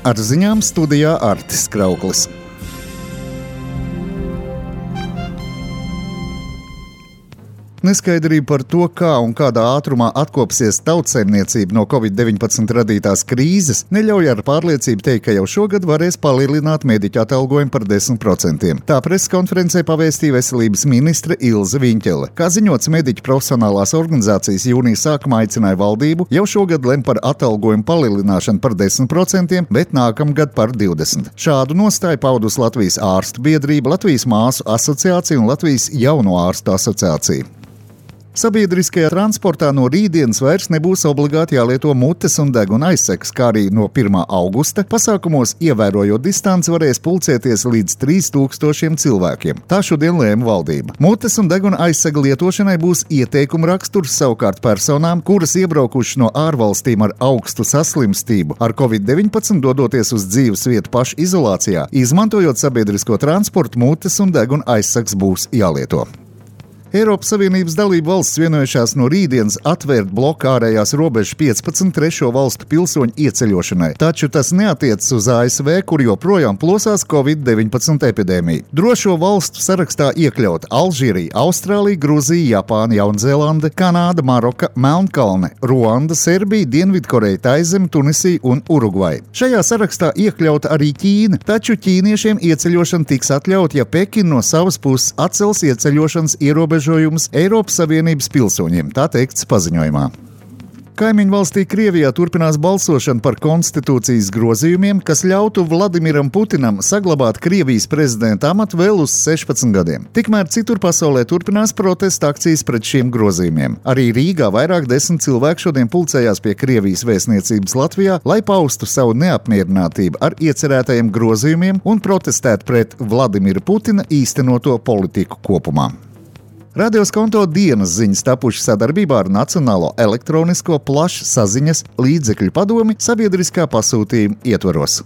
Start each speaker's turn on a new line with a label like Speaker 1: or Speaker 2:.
Speaker 1: Ar ziņām studijā Artis Krauklis. Neskaidrība par to, kā un kādā ātrumā atkopsies tautsaimniecība no Covid-19 radītās krīzes, neļauj ar pārliecību teikt, ka jau šogad varēs palielināt mediķu atalgojumu par 10%. Tā preses konferencē pavēstīja veselības ministre Ilze Viņķele. Kā ziņots, mediķu profesionālās organizācijas jūnija sākumā aicināja valdību jau šogad lemt par atalgojumu palielināšanu par 10%, bet nākamgad par 20%. Šādu nostāju paudus Latvijas ārstu biedrība, Latvijas māsu asociācija un Latvijas jauno ārstu asociācija. Sabiedriskajā transportā no rītdienas vairs nebūs obligāti jālieto mutes un deguna aizsegs, kā arī no 1. augusta pasākumos, ievērojot distanci, varēs pulcēties līdz 3000 cilvēkiem. Tā šodien lēma valdība. Mutes un deguna aizsega lietošanai būs ieteikuma raksturs, savukārt personām, kuras iebraukušas no ārvalstīm ar augstu saslimstību, ar Covid-19 dodoties uz dzīves vietu pašu izolācijā, izmantojot sabiedrisko transportu, mutes un deguna aizsegs būs jālieto. Eiropas Savienības dalību valsts vienojušās no rītdienas atvērt bloku ārējās robežas 15 trešo valstu pilsoņu ieceļošanai, taču tas neatiecas uz ASV, kur joprojām plosās Covid-19 epidēmija. Drošo valstu sarakstā iekļaut Alžīrija, Austrālija, Gruzija, Japāna, Jaunzēlande, Kanāda, Maroka, Melnkalne, Ruanda, Serbija, Dienvidkoreja, Taizeme, Tunisija un Urugvaja. Šajā sarakstā iekļauta arī Ķīna, taču ķīniešiem ieceļošana tiks atļaut, ja Pekina no savas puses atcels ieceļošanas ierobežojumus Eiropas Savienības pilsoņiem, tā teikts paziņojumā. Kaimiņu valstī Krievijā turpinās balsošana par konstitūcijas grozījumiem, kas ļautu Vladimiram Putinam saglabāt Krievijas prezidenta amatu vēl uz 16 gadiem. Tikmēr citur pasaulē turpinās protesta akcijas pret šiem grozījumiem. Arī Rīgā vairāk 10 cilvēku šodien pulcējās pie Krievijas vēstniecības Latvijā, lai paustu savu neapmierinātību ar iecerētajiem grozījumiem un protestētu pret Vladimira Putina īstenoto politiku kopumā. Radios konto dienas ziņas tapuši sadarbībā ar Nacionālo elektronisko plašsaziņas līdzekļu padomi sabiedriskā pasūtījuma ietvaros.